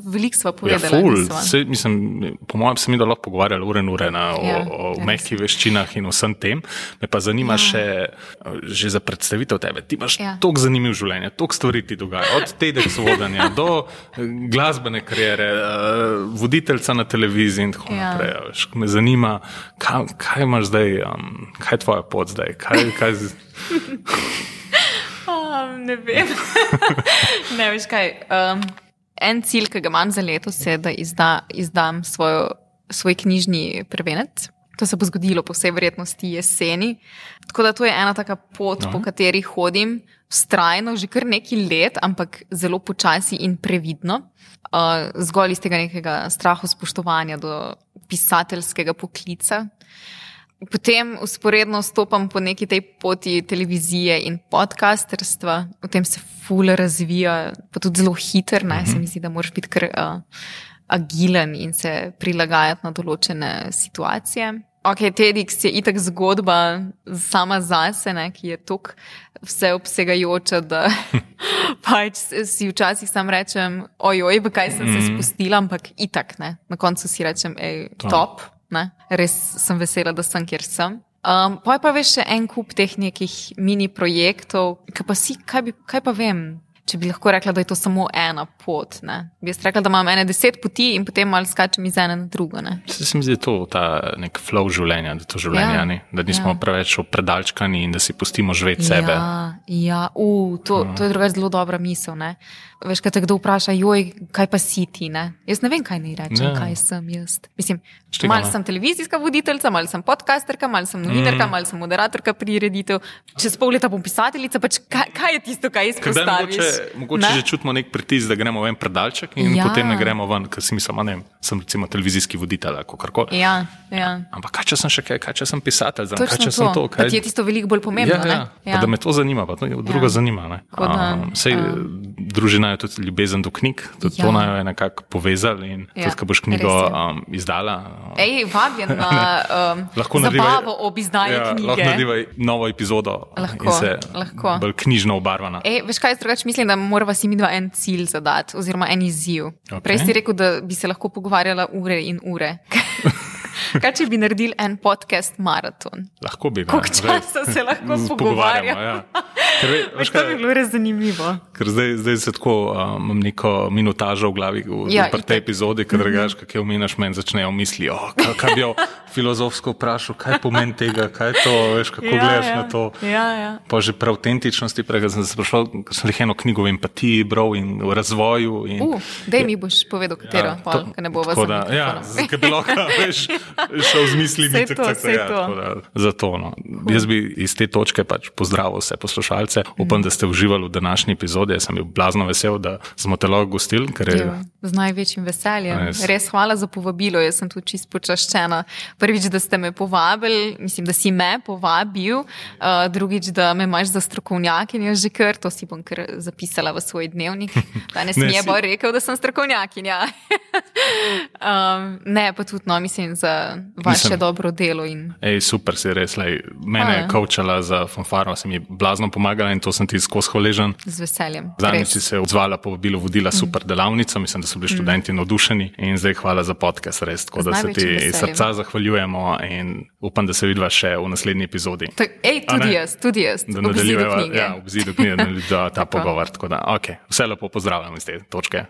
Veliko sva povedala. Ja, ful. Se, mislim, po mojem se mi da lahko pogovarjali ure in ure na, ja, o, o mehkih veščinah in vsem tem. Me pa zanima ja. še, že za predstavitev tebe. Ti imaš ja. toliko zanimiv življenje, toliko stvari ti dogaja. Od TEDx vodanja do glasbene kariere, voditeljca na televiziji in tako ja. naprej. Veš, me zanima, kaj, kaj imaš zdaj, um, kaj je tvoja pot zdaj? Kaj, kaj z... oh, ne vem. Ne veš kaj. Um, en cilj, ki ga imam za letos, je, da izda, izdam svojo, svoj knjižni prvenec. To se bo zgodilo po vsej verjetnosti jeseni. Tako da to je ena taka pot, no. po kateri hodim vztrajno že kar nekaj let, ampak zelo počasi in previdno. Uh, zgolj iz tega nekega strahu spoštovanja do pisateljskega poklica. Potem usporedno stopam po neki tej poti televizije in podcasterstva. V tem se ful razvija, pa tudi zelo hiter, ne? Se mi zdi, da moraš biti kar uh, agilen in se prilagajati na določene situacije. Ok, TEDx je itak zgodba sama zase, ne? Ki je tok vseobsegajoča, da pač si včasih sam rečem, ojoj, v kaj sem se spustila, ampak itak, ne? Na koncu si rečem, ej, top. Ne? Res sem vesela, da sem, kjer sem. Um, pa je pa veš še en kup teh nekih mini projektov, kaj pa si, kaj, bi, kaj pa vem, če bi lahko rekla, da je to samo ena pot. Ne? Bi jaz rekla, da imam ene deset poti in potem malo skačem iz ene na drugo. Ne? Se mi zdi to ta nek flow življenja, da to življenje, ja, ne? Da nismo ja. preveč predalčkani in da si pustimo živeti sebe. Ja, ja. Uh, to, to je drugač zelo dobra misel. Ne? Veš, kaj te kdo vpraša, joj, kaj pa si ti, ne? Jaz ne vem, kaj naj rečem, ja. kaj sem jaz. Mislim, malo sem televizijska voditeljca, malo sem podcasterka, malo sem novinarka, mm. malo sem moderatorka prireditev. Čez pol leta bom pisateljica, pač kaj, kaj je tisto, kaj izpostaviš? Mogoče, mogoče ne? že čutimo nek pritisk, da gremo ven predalček in ja. potem ne gremo ven, ker si mislim, a ne, sem recimo televizijski voditelj, ako karkoli. Ja, ja. Ampak kaj, če sem še kaj, kaj, če sem pisatelj, znam, kaj, če to. sem to, kaj... Pa ti je tisto veliko bolj pomembno, ja, ne? Ja, pa da me to zanima, pa to druga ja. zanima, ne? Um, sej, uh. družina je tudi ljubezen do knjig, tudi ja. to naj je nekako povezali in ja. tudi, ko boš knjigo um, izdala. Um, Ej, vabjen na um, zabavo nadivaj, ob izdaji ja, knjige. Lahko nadivaj novo epizodo lahko, in se lahko. bolj knjižno obarvana. Ej, veš kaj, drugač mislim, da morava si mi dva en cilj zadati, oziroma en izziv. Okay. Prej si rekel, da bi se lahko pogovarjala ure in ure. Kaj, če bi naredili en podcast maraton? Lahko bi. Koliko časa se lahko pogovarjamo? Ja. Ker, ve, veš, to bi bilo res zanimivo. Ker zdaj, zdaj se tako um, imam neko minutažo v glavi v, ja, v tej epizodi, ker drugač, mm -hmm. kak je omenaš, meni začnejo misli, oh, kaj, kaj bi jo filozofsko vprašal, kaj pomeni tega, kaj je to, veš, kako ja, gledaš ja. na to. Ja, ja. Pa že prav autentičnosti, prej sem se sprašal, ker sem eno knjigo v empatiji bral in v razvoju. In, uh, daj mi boš povedal, katero, ja, pa, ker ne bo vas zanimalo. Ja, ker bi lahko, veš, šel z mislimi. Sej to, sej ja, to. Da, zato, no. Jaz bi iz te točke pač pozdravil vse poslušalce. Upam, da ste uživali v današnji epizodi. Jaz sem bil blazno vesel, da smo te lahko gostili. Je... Z največjim veseljem. Res. Res hvala za povabilo. Jaz sem tu čist počaščena. Prvič, da ste me povabili, mislim, da si me povabil. Uh, drugič, da me imaš za strokovnjakinjo že kar. To si bom kar zapisala v svoj dnevnik. Danes mi je bolj rekel, da sem strokovnjakinja. um, ne, pa tudi, no, mislim, za vaše mislim, dobro delo. In... Ej, super si res. Lej, mene je koučala za fanfaro, se mi je blazno pomagala in to sem ti skozi hvaležen. Z veseljem. Zadnjič si se odzvala, povabilo, vodila super delavnico, mislim, da so bili študenti navdušeni in zdaj hvala za podcast, res, tako da se ti iz srca zahvaljujemo in upam, da se vidiva še v naslednji epizodi. To, ej, tudi jaz, tudi jaz. Da nadaljujeva, ja, v obzidu knjige, da ta pogovor, tako da, ok, vse lepo pozdravljam iz te točke.